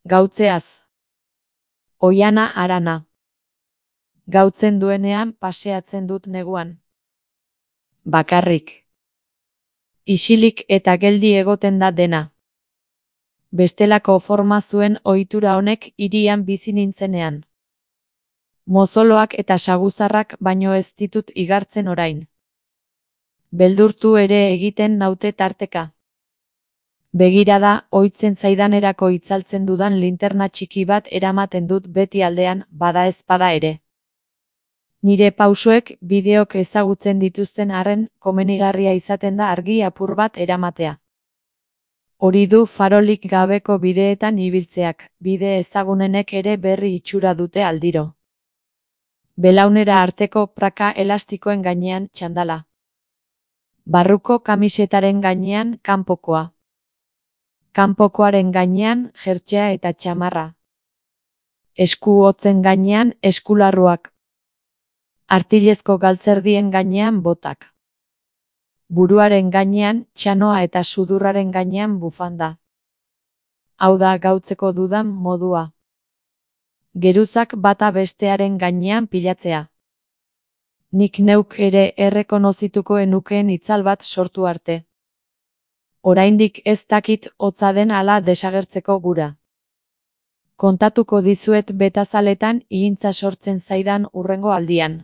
Gautzeaz. Oiana harana. Gautzen duenean paseatzen dut neguan. Bakarrik. Isilik eta geldi egoten da dena. Bestelako forma zuen ohitura honek hirian bizi nintzenean. Mozoloak eta saguzarrak baino ez ditut igartzen orain. Beldurtu ere egiten naute tarteka. Begirada, ohitzen zaidanerako itzaltzen dudan linterna txiki bat eramaten dut beti aldean, bada ezpada ere. Nire pausoek bideok ezagutzen dituzten arren, komenigarria izaten da argi apur bat eramatea. Hori du farolik gabeko bideetan ibiltzeak, bide ezagunenek ere berri itxura dute aldiro. Belaunera arteko praka elastikoen gainean txandala. Barruko kamisetaren gainean kanpokoa. Kanpokoaren gainean jertsea eta txamarra. Esku hotzen gainean eskularruak. Artilezko galtzerdien gainean botak. Buruaren gainean txanoa eta sudurraren gainean bufanda. Hau da gautzeko dudan modua. Geruzak bata bestearen gainean pilatzea. Nik neuk ere errekonozituko enukeen itzal bat sortu arte. Oraindik ez dakit hotza den ala desagertzeko gura. Kontatuko dizuet betazaletan ihintza sortzen zaidan hurrengo aldian.